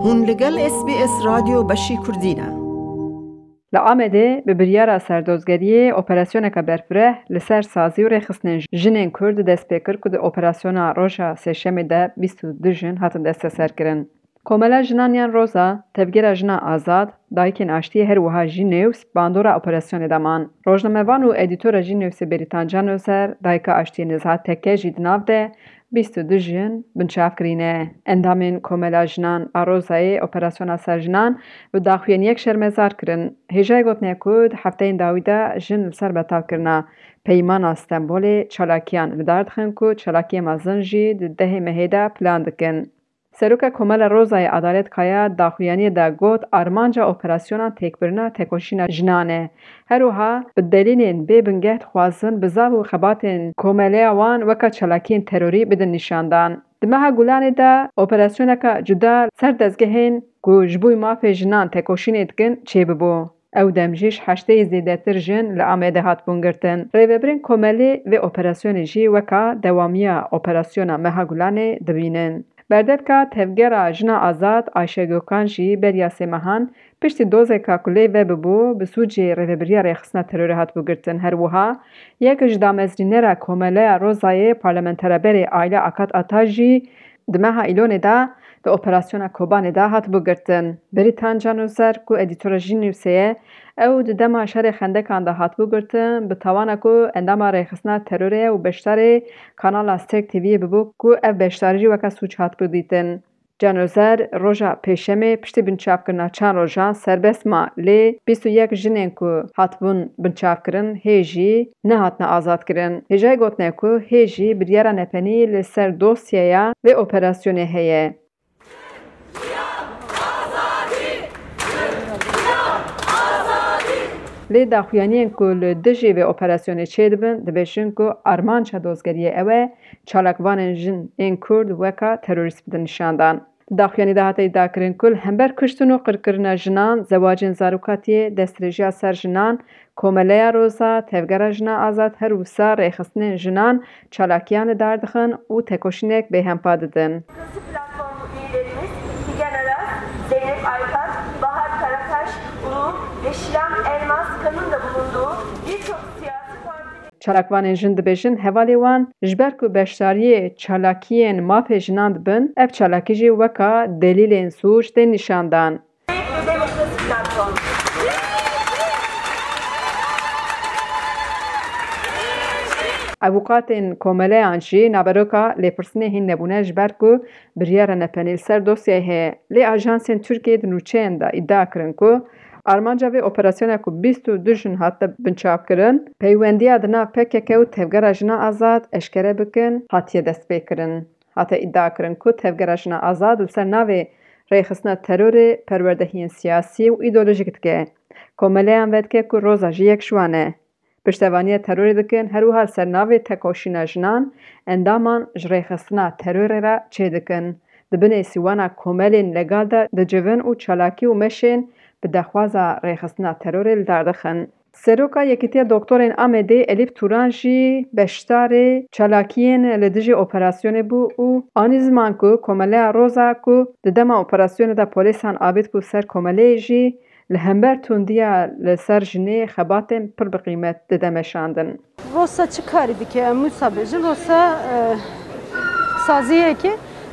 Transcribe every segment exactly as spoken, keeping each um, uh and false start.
Hûn li gel S B S Radyo Beşî Kurdî ne. Li Amedê bi biryara serdozgeriyê operasyoneke berfireh li ser sazî û rêxistinên jinên Kurd dest pê kir ku di operasyona roja Sêşemê de bîst û du jin hatin desteserkirin. Komela Jinan yan Roza, Tevgera Jina Azad, Dayikên Aştiyê her wiha jî nêws bandora operasyonê de man. Rojnamevan û edîtora Jî Nêwsê Bêrîtan Can Ozer, Dayika Aştiyê Neziha Tekke jî di nav de bîst û du jin binçav kirîne. Endamên Komela Jinan a Rozayê operasyona ser jinan bi daxuyaniyek şermezar kirin. Hêjayê gotinê ku di hefteyên dawî de jin li ser betalkirina Peymana Stenbolê çalakiyan li dar dixin ku çalakiyê mezin jî di dehê mehê de plan dikin. Seroka Komela Rozayê Adalet Kaya daxuyaniyê de got, armanca operasyona têkbirina tekoşîna jinan e. Her wiha bi delîlên bê bingeh dixwazin bizav û xebatên komeleya wan weka çalakiyên terorî bidin nîşandan. Di meha Gulanê de operasyoneke cuda ser dezgehên ku ji bo mafê jinan tekoşînê dikin çêbibû. Ew dem jî ji heştê yê zêdetir jin li Amedê hatibûn girtin. Rêvebirên komelê vê operasyonê jî weka dewamiya operasyona meha Gulanê dibînin. Berdevka Tevgera Jina Azad Ayşe Gökhan jî beriya sê mehan piştî dozeka ku lê vebibû bi sûcê rêvebiriya rêxistina terorê hatibû girtin. Her wiha yek ji damezrînera Komeleya Rozayê, parlamentera berê Ayla Akat Ata jî di meha Îlonê de di operasyona Kobanê de hatibû girtin. Beritan Can Ozer ku edîtora Jî Newsê ye, ew di dema şerê Xendekan de hatibû girtin, bi tawana ku endama rêxistina terorê ye û beşdarê kanala Stêrk T V'yê bibû ku ev beşdarî jî weke sûc hatibû dîtin. Can Ozer roja Pêşemê piştî binçavkirina çend rojan serbest ma, lê bîst û yek jinên ku hatibûn binçavkirin hê jî nehatine azadkirin. Hêjayê gotinê ku hê jî biryara nepenî li ser dosyeya vê operasyonê heye. Lê daxuyaniyên ku li dijî vê operasyonê çêdibin, dibêjin ku armanca dozgeriyê ew e, çalakvanên jin ên Kurd weka terorîst bidin nîşandan. Di daxuyanî de hate îdiakirin ku li hember kuştin û qirkirina jinan, zewacên zarokatiyê, destdirêjiya ser jinan, Komeleya Roza, Tevgera Jina Azad her wisa rêxistinên jinan çalakiyan li dar dixin û tekoşînek bêhempa didin. Yazı platformu üyelerimiz Figen Aras, Zeynep Aykan, Bahar Karakaş, Ulu ve Şilan Elmas Kan'ın da bulunduğu birçok siyasi parti Çalakvanên jin dibêjin hevalê wan ji ber ku beşdariyê çalakiyên mafê jinan dibin, ev çalakî jî weka delîlên sûc tên nîşandan. Ve Demokrasi Platformu. Avûkatên komeleyan jî naveroka lêpirsînê hîn nebûne ji ber ku biryara nepenî li ser dosyayê heye. Lê ajansên Tirkiyê di nûçeyên de îdia kirin ku armanca vê operasyona ku bîst û du jin hate binçavkirin, peywendiya di nav P K K û Tevgera Jina Azad eşkere bikin, hatiye destpêkirin. Hate îdiakirin ku Tevgera Jina Azad li ser navê rêxistina terorê perwerdehiyên siyasî û îdeolojîk dike. Komeleyan vedike ku Roza jî yek ji wan e. Piştevaniya terorê dikin, her wiha li ser navê tekoşîna jinan endaman ji rêxistina terorê re çêdikin. Di binê sîwana komelên legal de dicivin û çalakî û meşên bi daxwaza rêxistina terorê li dar dixin. Seroka Yekîtiya Doktorên Amedê Elîf Turan jî beşdarê çalakiyên li dijî operasyonê bû û anî ziman ku Komeleya Roza ku di dema operasyonê de polîsan avêt ku ser komeleyê jî li hember tundiya li ser jinê xebatên pir bi qîmet dide meşandin. Rosa çi karî dike? Em wisa bêjin, Rosa, e, saziyekê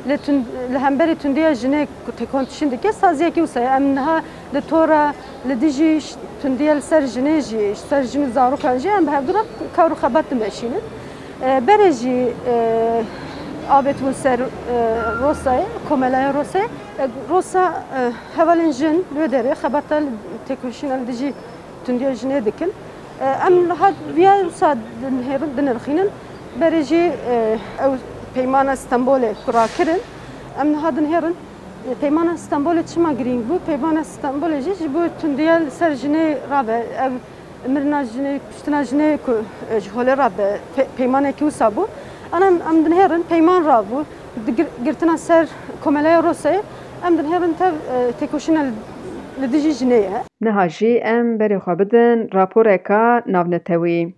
li tund-, li hemberî tundiya jinê ku têkoşîn dike, saziyekê wisa ye. Em niha li tora li dijî ş-, tundiya li ser jinê jî, ji ser jin û zarokan jî em bi hevdû re kar û xebat dimeşînin. E, berê jî, e, avêt bûn ser, e, Rosayê, komelaya Rosayê. E, Rosa, e, hevalên jin li wê derê xebata li têkoşîna li dijî tundiya jinê dikin. E, em niha viya wisa dinihêrin, dinirxînin. Berê jî, e, ew peymana Stenbolê ku rakirin, em niha dinihêrin. E, peymana Stenbolê çima girîng bû? Peymana Stenbolê jî ji bo tundiya li ser jinê rabe. Ev mirina jinê, kuştina jinê ku, e, ji holê rabe, pe-, peymanekî wisa bû. Ana em, em dinihêrin peyman rabû. Di gir-, girtina ser komeleya Rosayê, em dinihêrin tev, e, têkoşîna li, li dijî jinê ye. Niha jî em berê xwe bidin raporeka navnetewî.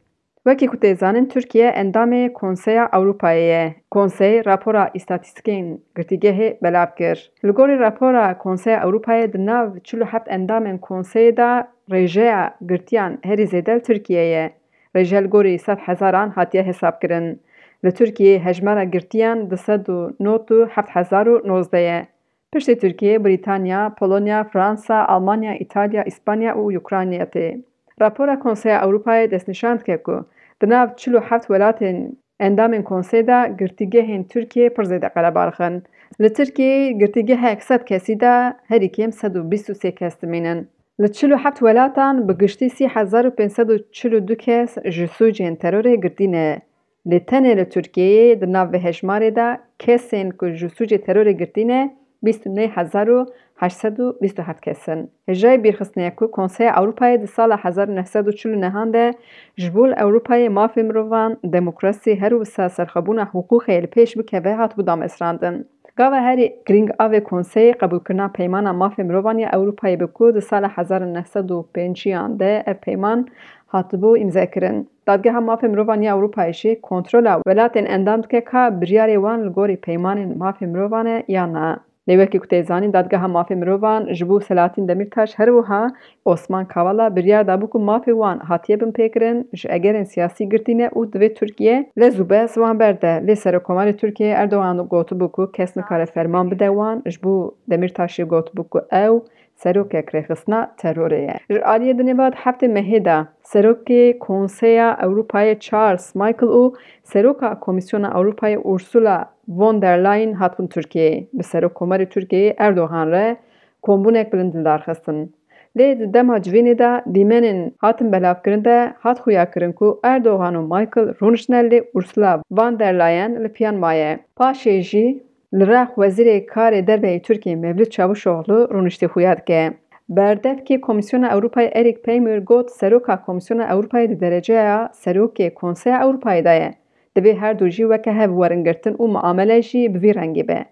Wekî ku tê zanîn, Tirkiye endamê Konseya Ewropayê ye. Konsey rapora îstatîstîkên girtîgehê belav kir. Li gorî rapora Konseya Ewropayê di nav çil û heft endamên konseyê de rêjeya girtiyan herî zêde li Tirkiye ye. Rêje li gorî sed hezaran hatiye hesabkirin. Li Tirkiyeyê hejmara girtiyan du sed û nod û heft hezar û nozdeh ye. Piştî Tirkiye, Brîtanya, Polonya, Fransa, Almanya, Îtalya, Îspanya û Ukrayna tê. Rapora Konseya Ewropayê destnîşan dike ku di nav çil û heft welatên endamên konseyê de girtîgehên Tirkiyê pir zêde qelebalix in. Li Tirkiyeyê girtîgehek sed kesî de herî kêm sed û bîst û sê kes dimînin. Li çil û heft welatan bi giştî sî hezar û pênc sed û çil û du kes ji sûcên terorê girtî ne. Lê tenê li Tirkiyeyê di nav vê hejmarê de kesên ku ji sûcê terorê girtî ne, bîst û neh hezar û heşt sed û bîst û heft kes in. Hêjayî bîrxistinê ye ku Konseya Ewropayê di sala hezar û neh sed û çil û nehan de ji bo li Ewropayê mafê mirovan, demokrasî, her wisa serxwebûna hiqûqê li pêş bikeve hatibû damezrandin. Gava herî girîng a vê konseyê qebûlkirina Peymana Mafê Mirovan ya Ewropayê bû ku di sala hezar û neh sed û pêncî an de ev peyman hatibû îmzekirin. Dadgeha Mafê Mirovan ya Ewropayê jî kontrola welatên endam dike ka biryarê wan li gorî peymanên mafê mirovan e yan na. Lê wekî ku tê zanîn, Dadgeha Mafê Mirovan ji bo Selahattin Demirtaş, her wiha Osman Kavala biryar dabû ku mafê wan hatiye binpêkirin, ji egerên siyasî girtî ne û divê Tirkiye lez û bez wan berde. Lê Serokkomarê Tirkiyeyê Erdogan gotibû ku kes nikare ferman bide wan, ji bo Demirtaşê gotibû ku ew serokek rêxistina terorê ye. Ji aliyê dinê ve di heftê mehê de Serokê Konseya Ewropayê Charles Michel û Seroka Komîsyona Ewropayê Ursula von der Leyen hatin Tirkiyeyê. Bi Serokkomarê Tirkiyeyê Erdogan re kombûnek bilind li dar xistin. Lê di dema civînê de dîmenên hatin belavkirin de hat xuyakirin ku Erdogan û Michel rûniştine, lê Ursula von der Leyen li piyan maye. Paşê jî Li rex Wezîrê Karê Derve yê Tirkiyê Mevlût Çavuşoglu rûniştî xuya dike. Berdevkê Komîsyona Ewropayê Eric Peymer got, Seroka Komîsyona Ewropayê di dereceya Serokê Konseya Ewropayê de ye. Divê her du jî weke hev werin girtin û muamele jî bi vî rengî be.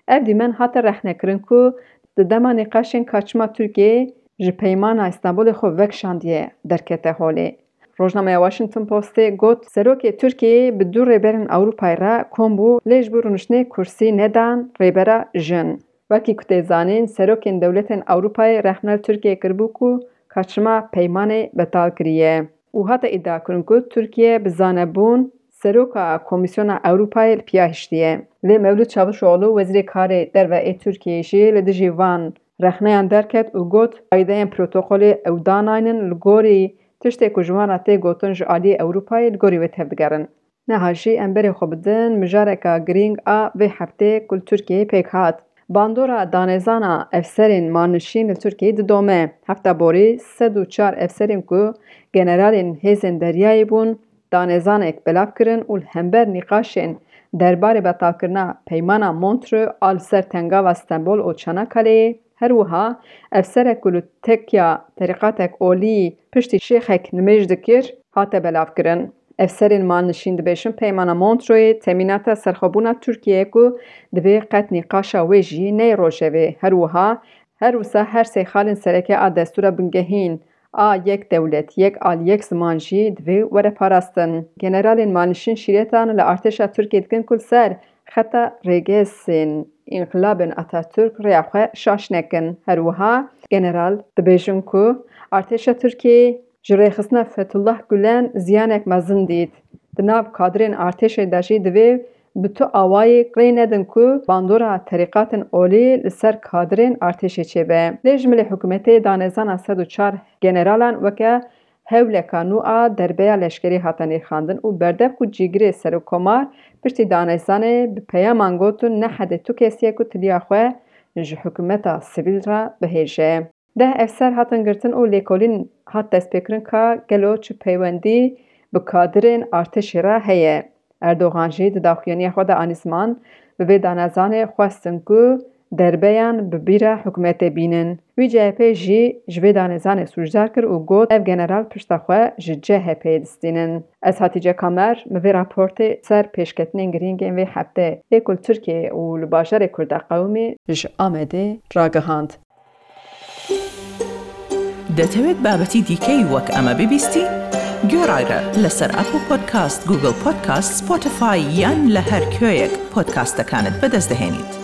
Ev dîmen hate rexnekirin ku di dema nîqaşên ka çima Tirkiye ji Peymana Stenbolê xwe vekişandiye derkete holê. Rojnameya Washington Postê got, Serokê Tirkiyeyê bi du rêberên Ewropayê re kom bû, lê ji bo rûniştinê kursî nedan rêbera jin. Wekî ku tê zanîn, serokên dewletên Ewropayê rexne li Tirkiyeyê kiribû ku ka çima peymanê betal kiriye û hate îdiakirin ku Tirkiye bi zanebûn Seroka Komîsyona Ewropayê li piya hiştiye. Lê Mevlût Çavuşoglu, Wezîrê Karê Derve ê Tirkiyeyê jî li dijî van rexneyan derket û got, faydeyên protokolê ew danaynin li gorî tiştê ku ji wan re tê gotin ji aliyê Ewropayê li gorî wê tevdigerin. Niha jî em berê xwe bidin mijareka girîng a vê heftê ku li Tirkiyeyê pêk hat. Bandora danezana efserên malnişîn li Tirkiyeyê didome. Hefta borî sed û çar efserên ku generalên hêzên deryayê bûn, danezanek belav kirin û li hember nîqaşên derbarê betalkirina Peymana Montreux a li ser tengava Stenbol û Çanakaleyê, her wiha efserek ku li tekya terîqatek olî piştî şêxek nimêj dikir, hate belavkirin. Efserên malnişîn dibêjin Peymana Montreuxê temînata serxwebûna Tirkiyeyê ku divê qet nîqaşa wê jî neyê rojevê. Her wiha, her wisa her sê xalên sereke a destûra bingehîn a yek dewlet, yek al, yek ziman jî divê were parastin. Generalên malnişîn şîretan li artêşa Tirkiyê dikin ku li ser xeta rêgezên înqilabên Atatürk rêya xwe şaş nekin. Her wiha general dibêjin ku artêşa Tirkiyeyê ji rêxistina Fethullah Gulen ziyanek mezin dît. Di nav kadirên artêşê de jî divê bi tu awayê rê nedin ku bandora terîqatên olî li ser kadirên artêşê çêbe. Lê ji milê hikûmetê danezana sed û çar generalan weke hewleka nû a derbeya leşkerî hate nirxandin û berdev ku cîgirê serokkomar piştî danezanê bi peyaman gotin, nehedê tu kes ye ku tiliya xwe ji hikûmeta sivîl re bihêje. Deh efser hatin girtin û lêkolîn hat destpêkirin ka gelo çi peywendî bi kadirên artêşê re heye. Erdogan jî di daxuyaniya xwe de anî ziman, bi vê danezanê xwestin ku derbeyan bi bîra hikûmetê bînin. Wî C H P jî ji vê danezanê sûcdar kir û got, ev general pişta xwe ji C H P'yê distînin. Ez Hatice Kamer, min vê raportê ser pêşketinên girîngên vê heftê ê ku li Tirkiyeyê û li bajarê Kurda qewimî ji Amedê ragihand. دەتەوێت بابەتی دیکەی وەک ئەمە ببیستی؟ گۆڕایرە لەسەر ئەپڵ پۆدکاست، گوگڵ پۆدکاست، سپۆتیفای یان لە هەر کوێیەک پۆدکاستەکانت بەدەست دەهێنیت.